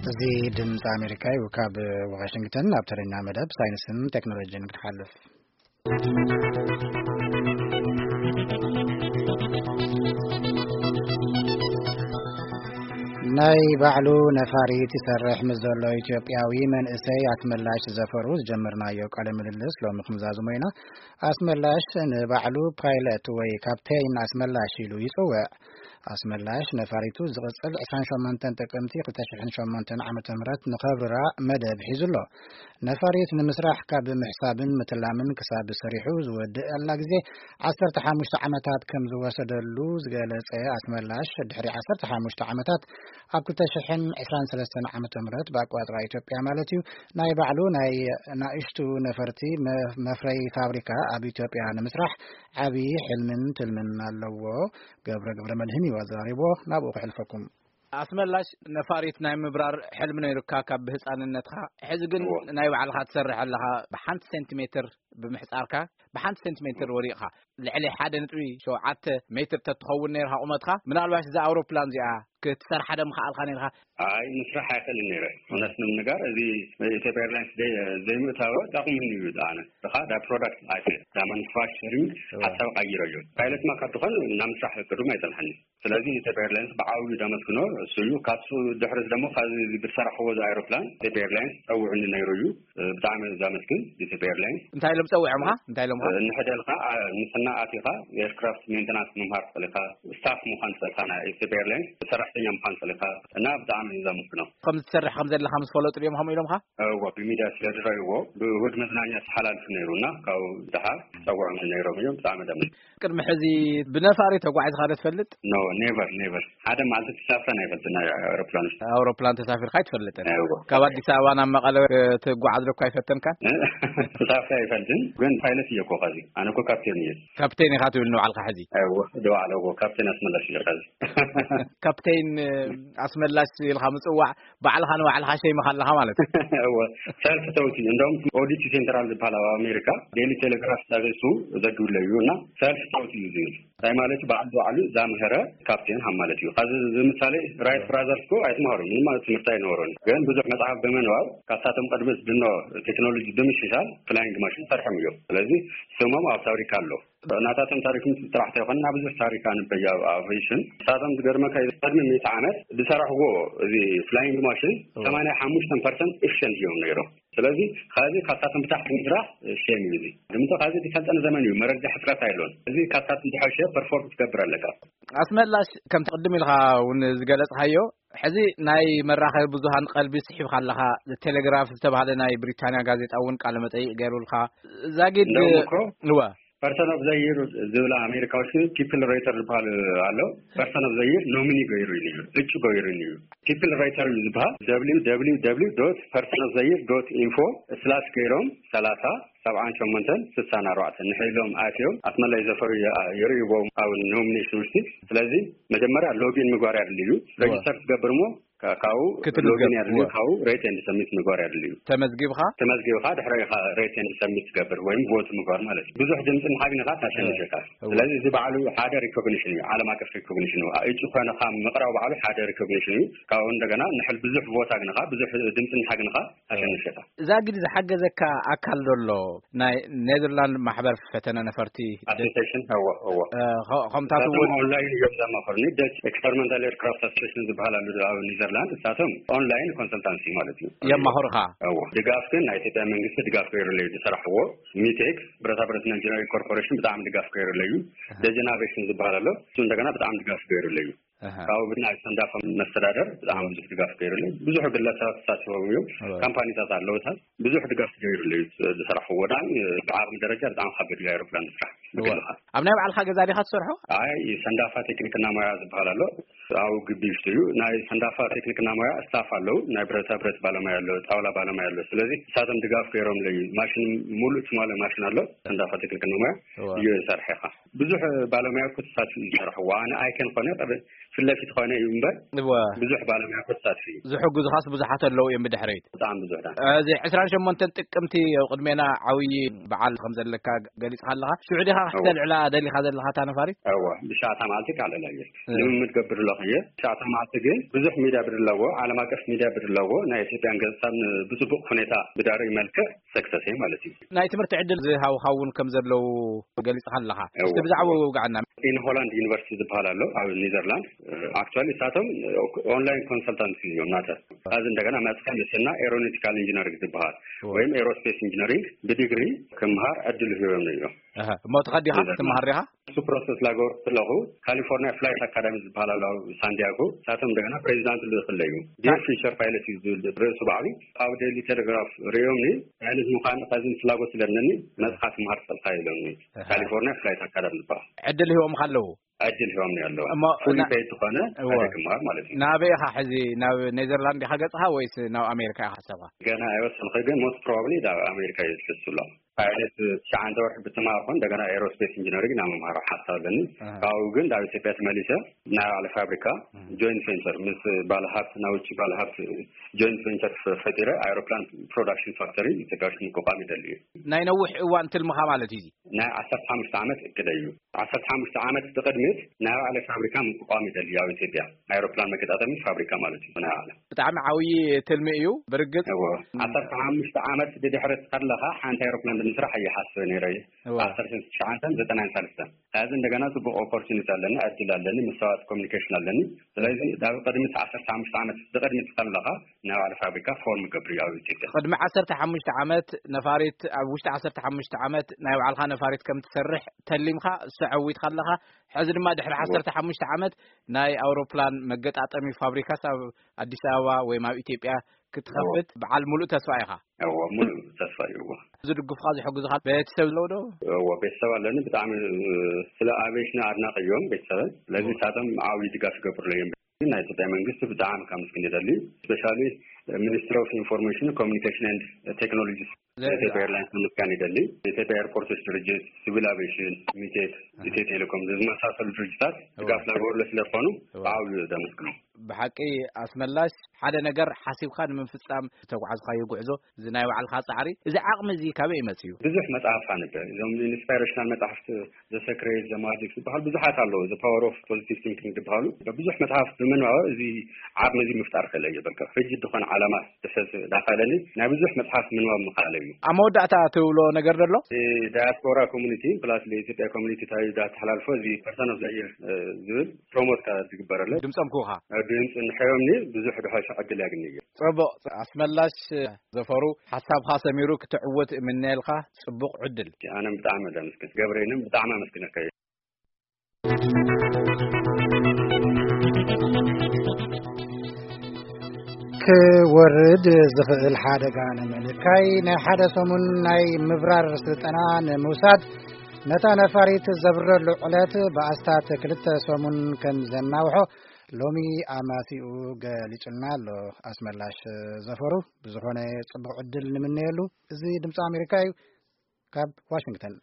እዚ ድምፂ ኣሜሪካ እዩ። ካብ ዋሽንግተን ናብ ተረኛ መደብ ሳይንስን ቴክኖሎጂን ክንሓልፍ። ናይ ባዕሉ ነፋሪት ይሰርሕ ምስ ዘሎ ኢትዮጵያዊ መንእሰይ ኣስመላሽ ዘፈሩ ዝጀመርናዮ ቃለ ምልልስ ሎሚ ክንዛዝሞ ኢና። ኣስመላሽ ንባዕሉ ፓይለት ወይ ካፕቴን ኣስመላሽ ኢሉ ይጽውዕ። ኣስመላሽ ነፋሪቱ ዝቕጽል ዕስራን ሸሞንተን ጥቅምቲ ክልተ ሽሕን ሸሞንተን ዓመተ ምህረት ንኸብርራ መደብ ሒዙ ኣሎ። ነፋሪት ንምስራሕ ካብ ምሕሳብን ምትላምን ክሳብ ሰሪሑ ዝወድእ ኣላ ግዜ ዓሰርተ ሓሙሽተ ዓመታት ከም ዝወሰደሉ ዝገለጸ ኣስመላሽ፣ ድሕሪ ዓሰርተ ሓሙሽተ ዓመታት ኣብ ክልተ ሽሕን ዕስራን ሰለስተን ዓመተ ምህረት ብኣቆጻጽራ ኢትዮጵያ ማለት እዩ፣ ናይ ባዕሉ ናይ ናእሽቱ ነፈርቲ መ-፣ መፍረይ ፋብሪካ ኣብ ኢትዮጵያ ንምስራሕ ዓቢ ሕልምን ትልምን ኣለዎ። ገብረ ገብረ መድህን እዩ ኣዘራሪቦ። ናብኡ ክሕልፈኩም። ኣስመላሽ፣ ነፋሪት ናይ ምብራር ሕልሚ ነይሩካ ካብ ብህፃንነትካ። ሕዚ ግን እዎ። ናይ ባዕልኻ ትሰርሕ ኣለኻ። ብሓንቲ ሴንቲሜትር ብምሕፃርካ፣ ብሓንቲ ሴንቲሜትር ወዲቕኻ። ልዕሊ ሓደ ነጥቢ ሸውዓተ ሜትር ተትኸውን ነይርካ ቁመትካ፣ ምናልባሽ እዛ ኣውሮፕላን እዚኣ ክትሰርሓ ዶ ምኸኣልካ ነይርካ? ኣይ፣ ምስራሕ ኣይኽእልን ነይረ። እውነት ንምንጋር፣ እዚ ኢትዮጵያ ኤርላይንስ ዘይ-፣ ዘይምእታወ ጠቕሙኒ እዩ ዝኣነ። እኻ ዳ ፕሮዳክት ኣይተ-፣ ዳ ማኑፋክቸሪንግ እዎ። ሓሳብ ቀይረዮ። ፓይለት ማ ካብ ዝኾን ናብ ምስራሕ ቅድም ኣይጸንሐኒ። ስለዚ ኢትዮጵያ ኤርላይንስ ብዓብዩ ዳመስግኖ እሱ እዩ። ካብሱ ድሕሪ ደሞ ካብዚ ብዝሰራሕዎ እዚ ኣይሮፕላን ኢትዮጵያ ኤርላይንስ ጸውዕኒ ነይሩ እዩ። ብጣዕሚ ዛመስግን ኢትዮጵያ ኤርላይንስ። እንታይ ኢሎም ጸዊዖምኻ? እንታይ ኢሎምኻ? ንሕደልካ፣ አ፣ ንስና ኣቲኻ ኤርክራፍት ሜንተናንስ ምምሃር ትኽእል ኢኻ፣ ስታፍ ምዃን ትኽእል ኢኻ፣ ናይ ኢትዮጵያ ኤርላይንስ ሰራሕተኛ ምዃን ትኽእል ኢኻ እና ብጣዕሚ እዩ ዛመስግኖ። ከም ዝሰርሕ ከም ዘለኻ ምስ ፈለጡ ድዮም ከምኡ ኢሎምኻ? እዎ፣ ብሚድያ ስለ ዝረእይዎ፣ ብውድ መዝናኛ ተሓላልፉ ነይሩ እና ካብኡ ደሓር ጸውዖም ነይሮም እዮም። ብጣዕሚ ደም ቅድሚ ሕዚ ብነፋሪ ተጓዒዝካ ዶ ትፈልጥ? ኖ፣ ኔቨር፣ ኔቨር። ሓደ መዓልቲ ተሳፍረን ኣይፈልጥን፣ ናይ ኣውሮፕላን ውሽጢ። ኣውሮፕላን ተሳፊርካ ኣይትፈልጥን? እዎ። ካብ ኣዲስ ኣበባ ናብ መቐለ ክትጓዓዝ ዶ እኳ ኣይፈተንካን? ተሳፍረ ኣይፈልጥን፣ ግን ፓይለት እየ እኮ ኸዚ። ኣነ እኮ ካፕቴን እየ። ካፕቴን ኢኻ ትብል ንባዕልካ ሕዚ? እዎ፣ ንባዕለ እዎ፣ ካፕቴን ኣስመላሽ እየ ኸዚ። ካፕቴን ኣስመላሽ ኢልካ ምጽዋዕ ባዕልኻ ንባዕልኻ ሸይምኻ ኣለኻ ማለት እዩ። እወ፣ ሰልፍ ተውት እዩ። እንደውም ኦዲት ሴንትራል ዝበሃል ኣብ ኣሜሪካ ዴሊ ቴሌግራፍ ሰርቪሱ ዘግብለ እዩ እና ሰልፍ ተውት እዩ ዝብል። እንታይ ማለት እዩ? በዓል ባዕሉ ዛምሀረ ካፕቴን ሃም ማለት እዩ። ካብዚ ብምሳሌ ራይት ብራዘርስ እኮ ኣይተምሃሩ፣ ምንም ማለት ትምህርቲ ኣይነበሩን። ግን ብዙሕ መጽሓፍ ብምንባብ ካብሳቶም ቅድሚ ዝድኖ ቴክኖሎጂ ብምሽሻል ፍላይንግ ማሽን ሰርሖም እዮም። ስለዚ ስሞም ኣብ ፋብሪካ ኣሎ። ናታቶም ታሪክ ምስ ጥራሕ ተይኮነ፣ ናብ ብዙሕ ታሪክ ኣንበይ ኣብ ኣቪዬሽን። ንሳቶም ዝገርመካ እዩ፣ ቅድሚ ሚእቲ ዓመት ዝሰራሕዎ እዚ ፍላይንግ ማሽን እዎ። ሰማንያ ሓሙሽተ ፐርሰንት ኤፊሽንት እዮም ነይሮም። ስለዚ፣ ካብዚ ካብሳቶም ብታሕቲ ምድራኽ ሼም እዩ እዚ። ድምቶ ካብዚ ዝሰልጠነ ዘመን እዩ፣ መረጃ ሕጽረት ኣይሎን። እዚ ካብሳቶም ዝሐሸ ፐርፎርም ትገብር ኣለካ። ኣስመላሽ፣ ከምቲ ቅድም ኢልካ እውን ዝገለጽካዮ፣ ሕዚ ናይ መራኸቢ ብዙሃን ቀልቢ ስሒብካ ኣለኻ። ቴሌግራፍ ዝተባህለ ናይ ብሪታንያ ጋዜጣ እውን ቃለ መጠይቕ ገይሩልካ። ዛጊድ እንደውም እኮ እወ። ፐርሰን ኦፍ ዘ ይር ዝብላ ኣሜሪካዎች ግን ፒፕል ሬተር ዝበሃል ኣሎ። ፐርሰን ኦፍ ዘ ይር ኖሚኒ ገይሩ እዩ፣ እጩ ገይሩ እዩ። ፒፕል ሬተር እዩ ዝበሃል። ደብሊው ደብሊው ደብሊው ዶት ፐርሰን ኦፍ ዘ ይር ዶት ኢንፎ ስላሽ ገይሮም ሰላሳ ሰብዓን ሸሞንተን ስሳን ኣርባዕተን ንሕሎም ኣትዮም ኣስመላይ ዘፈሩ የ-፣ የርእይዎም ኣብ ኖሚኔሽን ውሽጢ። ስለዚ መጀመርያ ሎጊን ምግባር ያድልዩ። እወ። ሬጅስተር ትገብር እሞ ካ-፣ ካብኡ ክትምዝገብ። ሎጊን ያድልዩ፣ እወ። ካብኡ ሬት ኤንድ ሰሚት ምግባር ያድልዩ። ተመዝጊብኻ? ተመዝጊብኻ ድሕሪ ኢኻ ሬት ኤንድ ሰሚት ትገብር ወይም ቮት ምግባር ማለት እዩ። ብዙሕ ድምፂ ምሃብ ንኻ ታሸንሸካ። እወ። ስለዚ እዚ ባዕሉ ሓደ ሪኮግኒሽን እዩ፣ ዓለም ኣቀፍ ሪኮግኒሽን እዩ። እጩ ኮይንኻ ምቕራብ ባዕሉ ሓደ ሪኮግኒሽን እዩ። ካብኡ እንደገና ንሕል ብዙሕ ቮት ኣግንኻ፣ ብዙሕ ድምፂ ንሓግንኻ ኣሸንሸካ። እዛ ግን ዝሓገዘካ ኣካል ዘሎ ናይ ኔዘርላንድ ማሕበር ፈተነ ነፈርቲ ኣሶሲዬሽን፣ እዎ፣ እዎ። እ፣ ኸ-፣ ከምታት እሳቶም እውን ኦንላይን እዮም ዘማኸሩኒ። ደች ኤክስፐሪመንታል ኤርክራፍት ኣሶሲዬሽን ዝበሃል ኣሎ ኣብ ኔዘርላንድ። እሳቶም ኦንላይን ኮንሰልታንሲ ማለት እዩ። የማኽሩኻ? እዎ። ድጋፍ ግን ናይ ኢትዮጵያ መንግስቲ ድጋፍ ገይሩለይ ዝሰራሕዎ ሚቴክ ብረታ ብረትና ኢንጂነሪንግ ኮርፖሬሽን ብጣዕሚ ድጋፍ ገይሩለይ እዩ። ኣሃ። ደጀን ኣቬሽን ዝበሃል ኣሎ። እሱ እንደገና ብጣዕሚ ድጋፍ ገይሩለይ እዩ። ኣሃ። ካብኡ ብናይ ሰንዳፋ መስተዳደር ብጣዕሚ ብዙሕ ድጋፍ ገይሩለይ። ብዙሕ ግለሰባት ተሳቲፎም እዮም። እወ። ካምፓኒታት ኣለውታት ብዙሕ ድጋፍ ገይሩለይ ዝሰራሕዎ። ብጣዕሚ ብዓቕሚ ደረጃ ብጣዕሚ ከበድ እዩ ኣይሮፕላን ምስራሕ እወ። ብግልኻ። ኣብ ናይ ባዕልኻ ገዛ ዲኻ ትሰርሖ? ኣይ፣ ሰንዳፋ ቴክኒክና ሞያ ዝበሃል ኣሎ። ኣብኡ ግቢ ውሽጢ እዩ። ናይ ሰንዳፋ ቴክኒክና ሞያ ስታፍ ኣለዉ። ናይ ብረታ ብረት ባለሙያ ኣሎ፣ ጣውላ ባለሙያ ኣሎ። ስለዚ ንሳቶም ድጋፍ ገይሮምለይ እዩ። ማሽን ሙሉእ ትማሊ ማሽን ኣሎ። ሰንዳፋ ቴክኒክና ሞያ እወ። እዩ ዝሰርሐኻ። ብዙሕ ባለሙያ እኮ ተሳትፉ እዩ ዝሰርሕዎ። ኣነ ኣይከን ኮነ ቅድ-፣ ፊት ለፊት ኮነ እዩ እምበር እወ። ብዙሕ ባለሙያ እኮ ተሳትፉ እዩ። ዝሕግዙኻስ ብዙሓት ኣለዉ እዮም ብድሕሪት። ብጣዕሚ ብዙሕ ዳ። እዚ ዕስራን ሸሞንተን ጥቅምቲ ኣብ ቅድሜና ዓብዪ በዓል ከም ዘለካ ገሊጽካ ኣለኻ። ሽዑ ዲኻ እወ። ክተልዕላ ደሊኻ ዘለኻ እታ ነፋሪት? እወ፣ ብሻዕታ መዓልቲ ካልዕላ እየ። እ። ልምምድ ገብር ኣለኹ እየ። ብሻዕታ መዓልቲ ግን ብዙሕ ሚድያ ብድለዎ፣ ዓለም ኣቀፍ ሚድያ ብድለዎ፣ ናይ ኢትዮጵያን ገጽታን ብጽቡቕ ሁኔታ ብዳርይ መልክዕ ሰክሰስ እየ ማለት እዩ። ናይ ትምህርቲ ዕድል ዝሃውኻ እውን ከም ዘለዉ ገሊጽካ ኣለኻ። እወ፣ እስቲ ብዛዕባኡ እወ። ውግዓና። ኢን ሆላንድ ዩኒቨርሲቲ ዝበሃል ኣሎ ኣብ ኔዘርላንድ። ኣክቹዋሊ ንሳቶም ኦንላይን ኮንሰልታንሲ እዮም ናተ። እዚ እንደገና መጽካ ምስና ኤሮኖቲካል ኢንጂነሪንግ ዝበሃል እወ። ወይም ኤሮስፔስ ኢንጂነሪንግ ብዲግሪ ክምሃር ዕድል ሂቦም እዮም። ኣሀ፣ እሞ ትኸድ ዲኻ? ኔዘርላንድ። ትመሃር ዲኻ? እሱ ፕሮሰስ ላገበርኩ ከለኹ ካሊፎርኒያ ፍላይት ኣካዳሚ ዝበሃል ኣሎ ኣብ ሳንዲያጎ። ንሳቶም እንደገና ፕሬዚዳንት ልእኽለይ እዩ። ዲር ፊውቸር ፓይለት እዩ ዝብል ርእሱ ባዕሉ። ኣብ ዴይሊ ቴሌግራፍ ርእዮምኒ፣ ፓይለት ምዃን ካብዚ ፍላጎት ስለ ኣለኒ መጽኻ ትምሃር ጸልካ ኢሎምኒ። ኣሃ። ካሊፎርኒያ ፍላይት ኣካዳሚ ዝበሃል። ዕድል ሂቦምካ ኣለዉ? ዕድል ሂቦምኒ ኣለዉ። እሞ ፉሊ ና-፣ ፔድ ዝኾነ እወ። ሓደ ክምሃር ማለት እዩ። ናበይ ኢኻ ሕዚ? ናብ ኔዘርላንድ ኢኻ ገጽኻ ወይስ ናብ ኣሜሪካ ኢኻ ሓሳብካ? ገና ኣይወሰንኹ፣ ግን ሞስት ፕሮባብሊ ናብ ኣሜሪካ እዩ ዝሕሱ ኣሎ። ፓይለት ትሽዓተ ወርሒ ብትምሃር ኮን እንደገና ኤሮስፔስ ኢንጂነሪንግ ናብ ምምሃር ሓሳብ ኣለኒ። ኣሃ። ካብኡ ግን ናብ ኢትዮጵያ ተመሊሰ ናይ ባዕለ ፋብሪካ እም። ጆይንት ቬንቸር ምስ ባለ ሃብቲ፣ ናይ ውጭ ባለ ሃብቲ ጆይንት ቬንቸር ፈ-፣ ፈጢረ ኣይሮፕላን ፕሮዳክሽን ፋክተሪ ኢትዮጵያ ውሽጢ ምቋቋም ይደሊ እዩ። ናይ ነዊሕ እዋን ትልምኻ ማለት እዩ እዚ? ናይ ዓሰርተ ሓሙሽተ ዓመት እቅደይ እዩ። ዓሰርተ ሓሙሽተ ዓመት ብቅድሚት ናይ ባዕለ ፋብሪካ ምቋቋም ይደሊ ኣብ ኢትዮጵያ። ኣይሮፕላን መገጣጠሚ ፋብሪካ ማለት እዩ ናይ ባዕለ። ብጣዕሚ ዓብዪ ትልሚ እዩ። ብርግጽ እዎ። እም። ዓሰርተ ሓሙሽተ ዓመት ብድሕሪ ከለኻ ሓንቲ ኣይሮፕላን ብምስራሕ እየ ሓስበ ነይረ። እዎ። ዓሰርተ ትሽዓተን ዘጠናን ሳልስተን። ሕዚ እንደገና ጽቡቕ ኦፖርቹኒቲ ኣለኒ፣ ዕድል ኣለኒ፣ ምስ ሰባት ኮሚኒኬሽን ኣለኒ። ስለዚ ናብ ቅድሚት ዓሰርተ ሓሙሽተ ዓመት ብቅድሚት ከለኻ ናይ ባዕለ ፋብሪካ ፎርም ገብር እዩ ኣብ ኢትዮጵያ። ቅድሚ ዓሰርተ ሓሙሽተ ዓመት ነፋሪት፣ ኣብ ውሽጢ ዓሰርተ ሓሙሽተ ዓመት ናይ ባዕልኻ ነፋሪት ከም ትሰርሕ ተሊምካ፣ እሱ ዓዊትካ ኣለኻ። ሕዚ ድማ ድሕሪ እዎ። ዓሰርተ ሓሙሽተ ዓመት ናይ ኣውሮፕላን መገጣጠሚ ፋብሪካስ ኣብ ኣዲስ ኣበባ ወይም ኣብ ኢትዮጵያ ክትኸፍት እዎ። በዓል ሙሉእ ተስፋ ኢኻ። እዎ፣ ሙሉእ ተስፋ እዩ። እዎ። ዝድግፉኻ ዝሕግዙኻ ቤተሰብ ኣለዉ ዶ? እዎ፣ ቤተሰብ ኣለኒ። ብጣዕሚ፣ እ፣ ስለ ኣቪዬሽን ኣድናቂ እዮም ቤተሰብን። ስለዚ እዎ። ንሳቶም ዓብዪ ድጋፍ ይገብሩለይ እዮም። ግን ናይ ኢትዮጵያ መንግስቲ ብጣዕሚ ካብ ምስግን ይደሊ። ስፔሻሊ ሚኒስትሪ ኦፍ ኢንፎርሜሽን ኮሚኒኬሽን ኤንድ ቴክኖሎጂ ዘ-፣ ኢትዮጵያ ኤርላይንስ ምምስጋን ይደሊ። ኢትዮጵያ ኤርፖርቶች ድርጅት፣ ሲቪል ኣቪዬሽን፣ ሚቴክ፣ እህ። ኢትዮ ቴሌኮም ዝመሳሰሉ ድርጅታት እዎ። ድጋፍ ላገበሩለ ስለ ዝኾኑ እዎ። ብዓብዩ ዘመስግኖም። ብሓቂ ኣስመላሽ፣ ሓደ ነገር ሓሲብካ ንምፍጻም ዝተጓዕዝካዮ ጉዕዞ፣ እዚ ናይ ባዕልኻ ጻዕሪ፣ እዚ ዓቕሚ እዚ ካበይ ይመጽእ እዩ? ብዙሕ መጽሓፍ ኣንበ። እዞም ኢንስፓይሬሽናል መጽሓፍቲ፣ ዘ ሰክሬት፣ ዘ ማጂክ ዝበሃል ብዙሓት ኣለዉ። ዘ ፓወር ኦፍ ፖዚቲቭ ቲንኪንግ ዝበሃሉ ብዙሕ መጽሓፍ ብምንባብ እዚ ዓቕሚ እዚ ምፍጣር ክእለ እየ። በቃ ሕጂ ዝኾነ ዓላማ ዝሕዝ ዳኸለኒ ናይ ብዙሕ መጽሓፍ ምንባብ ምኽኣለ እዩ። ኣብ መወዳእታ ትብሎ ነገር ደሎ? ዳያስፖራ ኮሚኒቲ ፕላስ ለኢትዮጵያ ኮሚኒቲ እንታይ ዳተሓላልፎ እዚ ፐርሰን ኦፍ ዘ ይር ዝብል ፕሮሞት ዝግበረለ ድምፆም ክውኻ። ድምፂ እንድሕር ዮምኒ ብዙሕ ድሕሽ ዕድል ያግኒ እዩ። ጽቡቕ። ኣስመላሽ ዘፈሩ ሓሳብኻ ሰሚሩ ክትዕወት እምነየልካ። ጽቡቕ ዕድል። ኣነ ብጣዕሚ ደምስክን ገብረይንም ብጣዕሚ ኣመስግነካ እዩ። ክወርድ ዝኽእል ሓደጋ ንምንካይ ናይ ሓደ ሰሙን ናይ ምብራር ስልጠና ንምውሳድ ነታ ነፋሪት ዘብረሉ ዕለት ብኣስታት ክልተ ሰሙን ከም ዘናውሖ ሎሚ ኣማሲኡ ገሊጹልና ኣሎ ኣስመላሽ ዘፈሩ። ብዝኾነ ጽቡቕ ዕድል ንምነየሉ። እዚ ድምፂ ኣሜሪካ እዩ። ካብ ዋሽንግተን።